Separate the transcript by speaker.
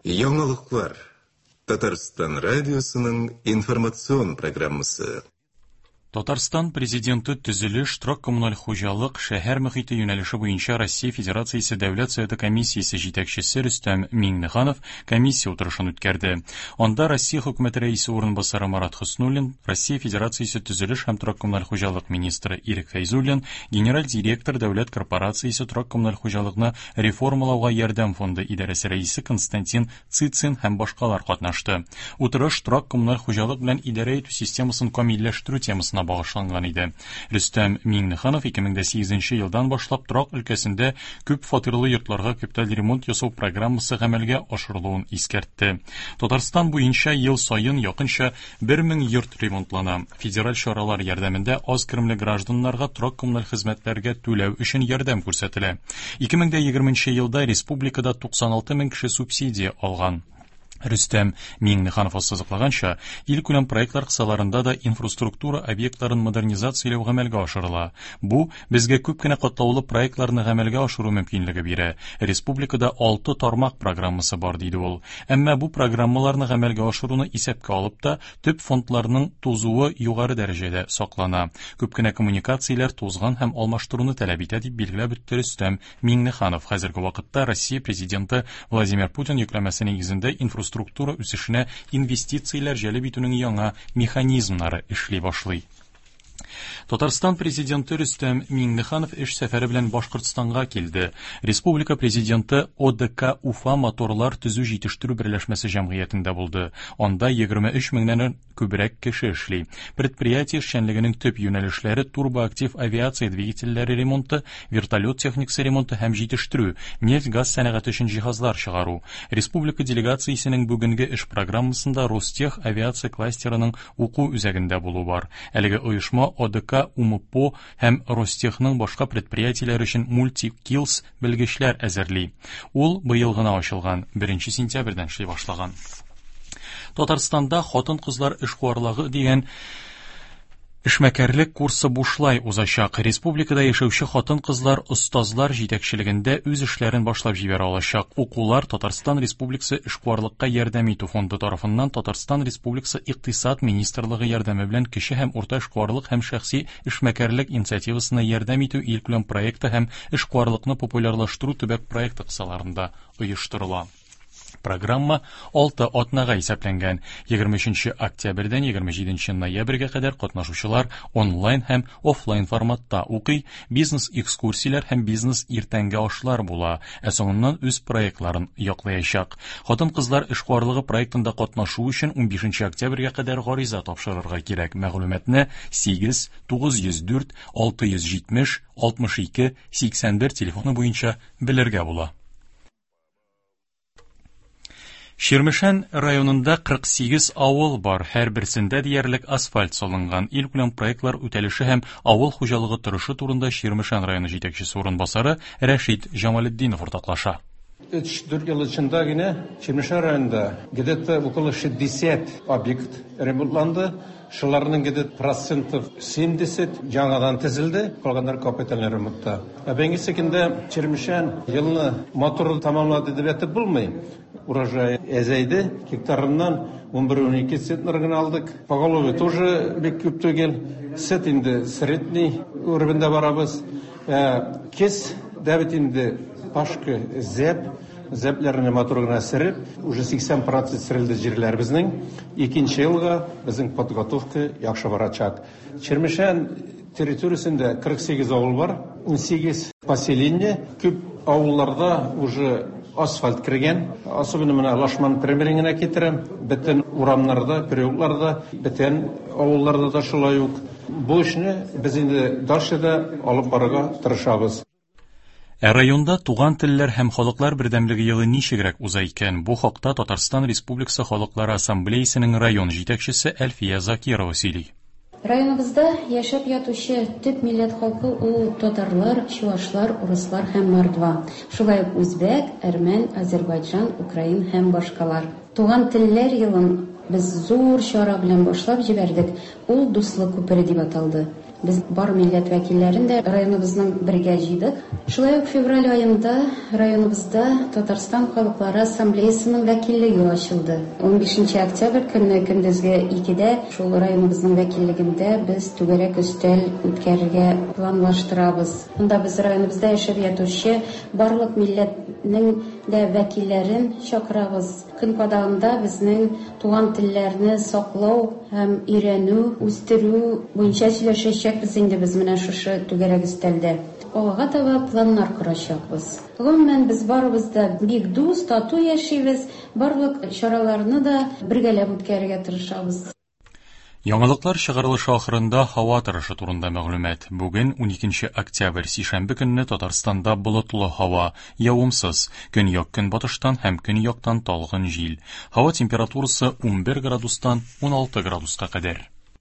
Speaker 1: Яңалыклар. Татарстан радиосының информацион программасы.
Speaker 2: Татарстан Президенты төзелеш, торак-коммуналь хуҗалык, шәһәр мөхите юнәлеше буенча Россия Федерациясе Дәүләт Советы комиссиясе җитәкчесе Рөстәм Миңнеханов комиссия утырышын үткәрде. Анда Россия Хөкүмәте Рәисе урынбасары Марат Хөснуллин, Россия Федерациясе төзелеш һәм торак-коммуналь хуҗалык министры Ирек Фәйзуллин, генераль директор Дәүләт корпорациясе торак-коммуналь хуҗалыкны реформалауга ярдәм фонды идарәсе рәисе Константин Цицин һәм башкалар катнашты. Утырыш торак-коммуналь хуҗалык белән идарә итү системасын камилләштерү темасына багышланган иде. Рөстәм Миңнеханов 2008 елдан башлап торак өлкәсендә күп фатирлы йортларга капиталь ремонт ясау программасы гамәлгә ашырылуын искәртте. Татарстан буенча ел саен якынча 1000 йорт ремонтлана. Федераль чаралар ярдәмендә аз керемле гражданнарга торак-коммуналь хезмәтләргә түләү өчен ярдәм күрсәтелә. 2020 елда республикада 96 мең кеше субсидия алган. Рөстәм Миңнеханов ассызыклаганча, илкүләм проектлар кысаларында да инфраструктура объектларын модернизацияләү гамәлгә ашырыла. Бу безгә күп кенә катлаулы проектларны гамәлгә ашыру мөмкинлеге бирә. Республикада алты тармак программасы бар, диде ул. Әмма бу программаларны гамәлгә ашыруны исәпкә алып та, төп фондларның тузуы югары дәрәҗәдә саклана. Күп кенә коммуникацияләр тузган һәм алмаштыруны таләп итә, дип билгеләп үтте Рөстәм Миңнеханов. Хәзерге вакытта Россия Президенты Владимир Путин йөкләмәсе нигезендә инфраструктура үсешенә инвестицияләр җәлеп итүнең яңа механизмнары эшли башлый. Татарстан Президенты Рөстәм Миңнеханов эш сәфәре белән Башкортстанга килде. Республика Президенты ОДК Уфа моторлар төзү җитештерү берләшмәсе җәмгыятендә булды. Анда 23 меңнән күбрәк кеше эшли. Предприятие эшчәнлегенең төп юнәлешләре турбоактив авиация двигательләре ремонты, вертолет техникасы ремонты һәм җитештерү, нефть-газ сәнәгате өчен җиһазлар чыгару. Республика делегациясенең бүгенге эш программасында Ростех авиация кластерының уку үзәгендә булу бар. Әлеге оешма ОДК УМПО һәм Ростехның башка предприятиеләре өчен мультикилс белгечләр әзерли. Ул быел гына ачылган, 1 сентябрьдән эшли башлаган. Татарстанда хатын-кызлар эшкуарлыгы дигән Эшмәкәрлек курсы бушлай узачак. Республикада яшәүче хатын-кызлар остазлар җитәкчелегендә үз эшләрен башлап җибәрә алачак. Укулар Татарстан Республикасы эшкуарлыкка ярдәм итү фонды тарафыннан Татарстан Республикасы Икътисад министрлыгы ярдәме белән кече һәм урта эшкуарлык һәм шәхси эшмәкәрлек инициативасына ярдәм итү илкүләм проекты һәм эшкуарлыкны популярлаштыру төбәк проекты кысаларында оештырыла. Программа 6 атнага исәпләнгән. 23 октябрьдән 27 ноябрьгә кадәр катнашучылар онлайн һәм офлайн форматта укый, бизнес-экскурсияләр һәм бизнес-иртәнге ашлар була, ә соңыннан үз проектларын яклаячак. Хатын-кызлар эшкуарлыгы проектында катнашу өчен 15 октябрьгә кадәр гариза тапшырырга кирәк. Мәгълүматны 8 904 670 62 81 телефоны буенча белергә була. Чирмешән районында 48 авыл бар, һәрберсендә диярлек асфальт салынган. Илкүләм проектлар үтәлеше һәм авыл хуҗалыгы торышы турында Чирмешән районы җитәкчесе урынбасары Рәшит Җамалетдинов уртаклаша.
Speaker 3: 3-4 ел эчендә генә Чирмешән районында где-то около 60 объект ремонтланды. Шуларның где-то процентов 70 яңадан төзелде, калганнар капиталь ремонтта. Ә бүгенге көндә Чирмешән елны матур тамамлады дип әйтеп булмый. Урожай әзәйде, гектарыннан 11-12 центнер генә алдык. Поголовье тоже бик күп түгел. Сөт инде средний уровеньда барабыз. Кез дә бит инде пашка зәп, зәпләрне матур гына сөреп, уже 80% сөрелде җирләр безнең. Икенче елга безнең подготовка яхшы барачак. Чирмешән территориясендә 48 авыл бар, 18 поселение. Күп авылларда уже асфальт кергән. Особенно менә Лашман примерын гына китерәм. Бөтен урамнарда, переулокларда, бөтен авылларда да шулай ук. Бу эшне без инде дальше да алып барырга тырышабыз.
Speaker 2: Ә районда туган телләр һәм халыклар бердәмлеге елы ничегрәк уза икән? Бу хакта Татарстан Республикасы Халыклары Ассамблеясының район җитәкчесе Әлфия Закирова сөйли.
Speaker 4: Районыбызда яшәп ятучы төп милләт халкы ул татарлар, чуашлар, урыслар һәм мордва. Шулай ук үзбәк, әрмән, азербайджан, украин һәм башкалар. Туган телләр елын без зур чара белән башлап җибәрдек, ул Дуслык күпере дип аталды. Без бар милләт вәкилләрен дә районыбызның бергә җыйдык. Шулай ук февраль аенда районыбызда Татарстан халыклары ассамблеясының вәкиллеге ачылды. 15 октябрь көнне көндезге 2дә шул районыбызның вәкиллегендә без түгәрәк өстәл үткәрергә планлаштырабыз. Монда без районыбызда яшәп ятучы барлык милләтнең дә вәкилләрен чакырабыз. Көн кадагында безнең туган телләрне саклау һәм өйрәнү, үстерү буенча сөйләшәчәкбез инде без менә шушы түгәрәк өстәлдә. Алга таба планнар корачакбыз. Гомумән, без барыбыз да бик дус, тату яшибез, барлык чараларны да бергәләп үткәрергә тырышабыз.
Speaker 2: Яңалыклар чыгарылышы ахырында һава торышы турында мәгълүмат. Бүген 12 октябрь, сишәмбе көнне Татарстанда болытлы һава, явымсыз, көньяк-көнбатыштан һәм көньяктан талгын җил. Һава температурасы 11 градустан 16 градуска кадәр.